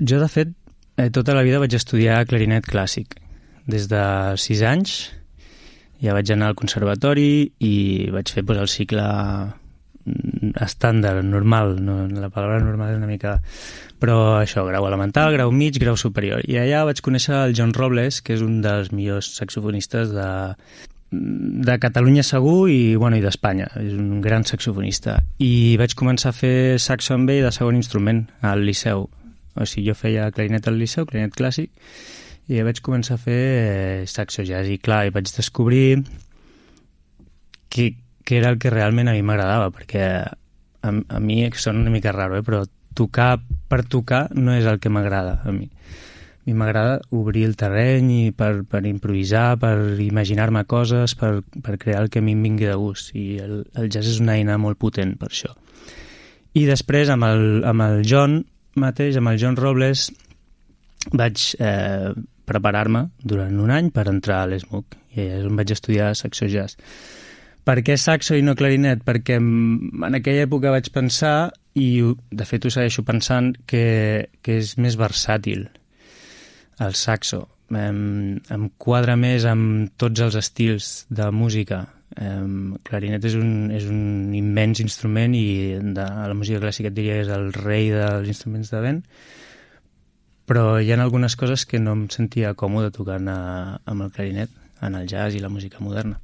Jo, de fet, tota la vida vaig estudiar clarinet clàssic. Des de 6 anys ja vaig anar al conservatori i vaig fer el cicle estàndard, normal, no, la paraula normal és una mica... Però això, grau elemental, grau mig, grau superior. I allà vaig conèixer el John Robles, que és un dels millors saxofonistes de Catalunya segur i d'Espanya. És un gran saxofonista. I vaig començar a fer saxo amb ell de segon instrument al Liceu. O sigui, jo feia clarinet al Liceu, clarinet clàssic, i vaig començar a fer saxo jazz. I clar, vaig descobrir que era el que realment a mi m'agradava, perquè a mi sona una mica raro, però tocar per tocar no és el que m'agrada a mi. A mi m'agrada obrir el terreny i per improvisar, per imaginar-me coses, per crear el que a mi em vingui de gust. I el jazz és una eina molt potent per això. I després, amb el John mateix, amb el John Robles, vaig preparar-me durant un any per entrar a l'ESMUC. I allà és on vaig estudiar saxo jazz. Per què saxo i no clarinet? Perquè en aquella època vaig pensar, i de fet ho segueixo pensant, que és més versàtil el saxo. Em quadra més amb tots els estils de música. Clarinet és un immens instrument i a la música clàssica et diria que és el rei dels instruments de vent, però hi ha algunes coses que no em sentia còmode tocant amb el clarinet en el jazz i la música moderna.